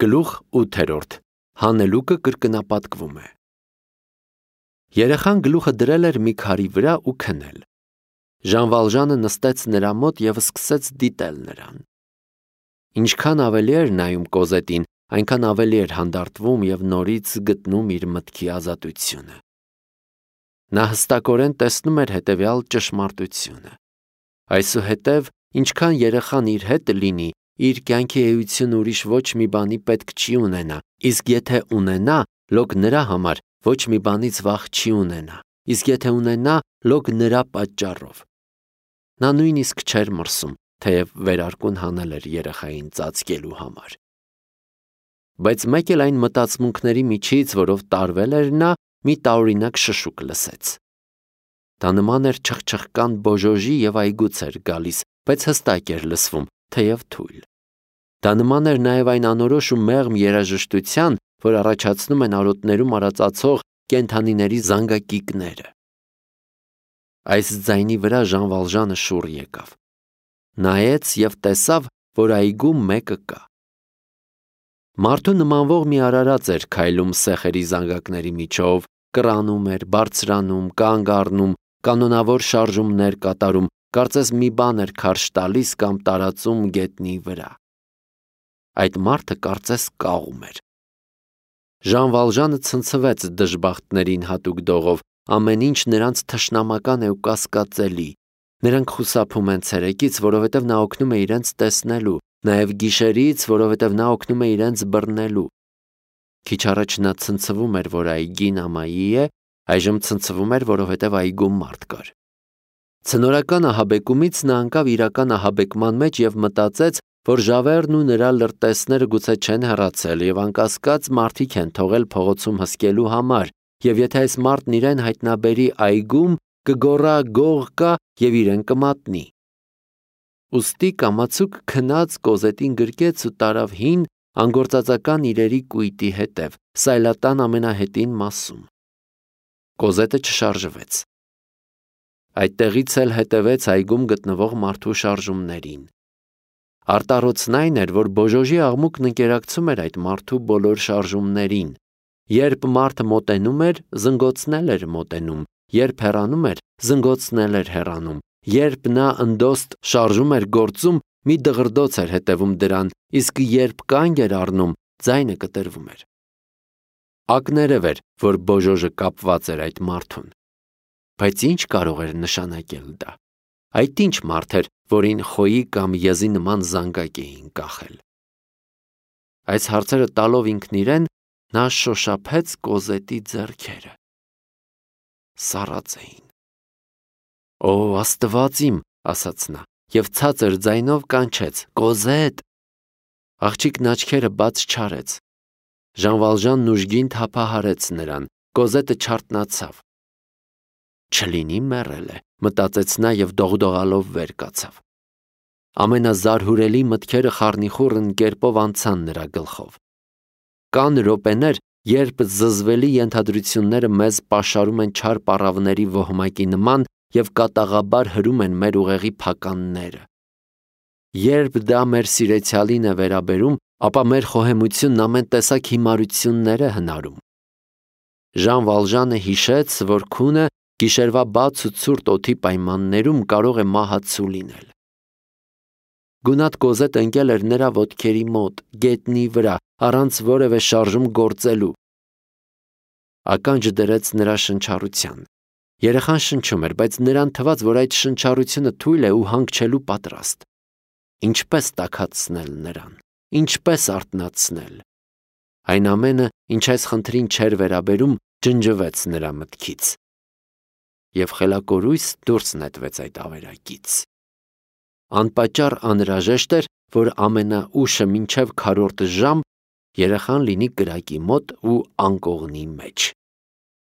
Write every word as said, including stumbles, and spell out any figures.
Գլուխ ութերորդ. Հանելուկը կրկնապատկվում է։ Երեխան գլուխը դրել էր մի քարի վրա ու քնել։ Ժան Վալժանը նստեց նրա մոտ և սկսեց դիտել նրան։ Ինչքան ավելի էր նայում Կոզետին, այնքան ավելի էր հանդարտվում և նորից գտնում իր մտքի ազատությունը։ Նա հստակորեն տեսնում էր հետևյալ ճշմարտությունը. այսուհետև, ինչքան երեխան իր հետ լինի, իր կյանքի էությունը ուրիշ ոչ մի բանի պետք չի ունենա, իսկ եթե ունենա, լոկ նրա համար ոչ մի բանից վախ չի ունենա, իսկ եթե ունենա, լոկ նրա պատճառով։ Նա նույնիսկ չէր մրսում, թեև վերարկուն հանել էր երեխային ծածկելու համար։ Բայց մեկ էլ այն մտածմունքների միջից, որով տարվել էր նա, մի տարօրինակ շշուկ լսեց։ Դա նման էր չխչխկան բոժոժի և այգուց էր գալիս, բայց հստակ էր լսվում, թեև թույլ։ Դա նման էր նաև այն անորոշ ու մեղմ երաժշտության, որ առաջացնում են արոտներում արածացող կենդանիների զանգակիկները։ Այս ձայնի վրա Ժան Վալժանը շուռ եկավ։ Նայեց և տեսավ, որ այգում մեկը կա։ Մարդու նմանվող մի արարած էր քայլում սեխերի զանգակների միջով, կռանում էր, բարձրանում, կանգ առնում, կանոնավոր շարժումներ կատարում, կարծես մի բան էր քարշ տալիս կամ տարածում գետնի վրա։ Այդ մարդը կարծես կաղում էր։ Ժան Վալժանը ցնցվեց դժբախտներին հատուկ դողով, ամեն ինչ նրանց թշնամական է ու կասկածելի։ Նրանք խուսափում են ցերեկից, որովհետև նա օգնում է իրենց տեսնելու, նաև գիշերից, որովհետև նա օգնում է իրենց բռնելու։ Քիչ առաջ նա ցնցվում էր, որ այգին ամայի է, այժմ ցնցվում էր, որովհետև այգում մարդ կար։ Ցնորական ահաբեկումից նա ընկավ իրական ահաբեկման մեջ և մտածեց, որ Ժավերն ու նրա լրտեսները գուցե չեն հեռացել և անկասկած մարդիկ են թողել փողոցում հսկելու համար, և եթե այս մարդն իրեն հայտնաբերի այգում, կգոռա «գող կա» և իրեն կմատնի։ Ուստի կամացուկ քնած Կոզետին գրկեց ու տարավ հին, անգործածական իրերի կույտի հետև, սայլատան ամենահետին մասում։ Կոզետը չշարժվեց։ Այդտեղից էլ հետևեց այգում գտնվող մարդու շարժումներին։ Արտառոցն այն էր, որ բոժոժի աղմուկն ընկերակցում էր այդ մարդու բոլոր շարժումներին։ Երբ մարդը մոտենում էր, զնգոցն էր մոտենում, երբ հեռանում էր, զնգոցն էր հեռանում, երբ նա ընդոստ շարժում էր գործում, մի դղրդոց էր հետևում դրան, իսկ երբ կանգ էր առնում, ձայնը կտրվում էր։ Ակներև էր, որ բոժոժը կապված էր այդ մարդուն։ Բայց ինչ կարող էր նշանակել դա։ Այդ ինչ մարդ էր, որին խոյի կամ եզի նման զանգակ էին կախել։ Այս հարցերը տալով ինքն իրեն, նա շոշափեց Կոզետի ձեռքերը։ Սառած էին։ Օ, Աստված իմ, ասաց նա, և ցածր ձայնով կանչեց. Կոզետ։ Աղջիկն աչքերը բաց չարեց։ Ժան Վալժանն ուժգին թափահարեց նրան, Կոզետը չարթնացավ։ Չլինի մեռել է, մտածեց նա և դողդողալով վեր կացավ։ Ամենազարհուրելի մտքերը խառնիխուռն կերպով անցան նրա գլխով։ Կան րոպեներ, երբ զզվելի ենթադրությունները մեզ պաշարում են չար պառավների ոհմակի նման և կատաղաբար հրում են մեր ուղեղի փականները։ Երբ դա մեր սիրեցյալին է վերաբերում, ապա մեր խոհեմությունն ամեն տեսակ հիմարություններ է հնարում։ Ժան Վալժանը հիշեց, որ քունը գիշերվա բաց ու ցուրտ օդի պայմաններում կարող է մահացու լինել։ Գունատ Կոզետը ընկել էր նրա ոտքերի մոտ, գետնի վրա, առանց որևէ շարժում գործելու։ Ականջ դրեց նրա շնչառության։ Երեխան շնչում էր, բայց նրան թվաց, որ այդ շնչառությունը թույլ է ու հանգչելու պատրաստ։ Ինչպես տաքացնել նրան, ինչպես արթնացնել։ Այն ամենը, ինչ այս խնդրին չէր վերաբերում, ջնջվեց նրա մտքից։ Եվ խելակորույս դուրս նետվեց այդ ավերակից։ Անպատճառ անհրաժեշտ էր, որ ամենաուշը մինչև քառորդ ժամ երեխան լինի կրակի մոտ ու անկողնի մեջ։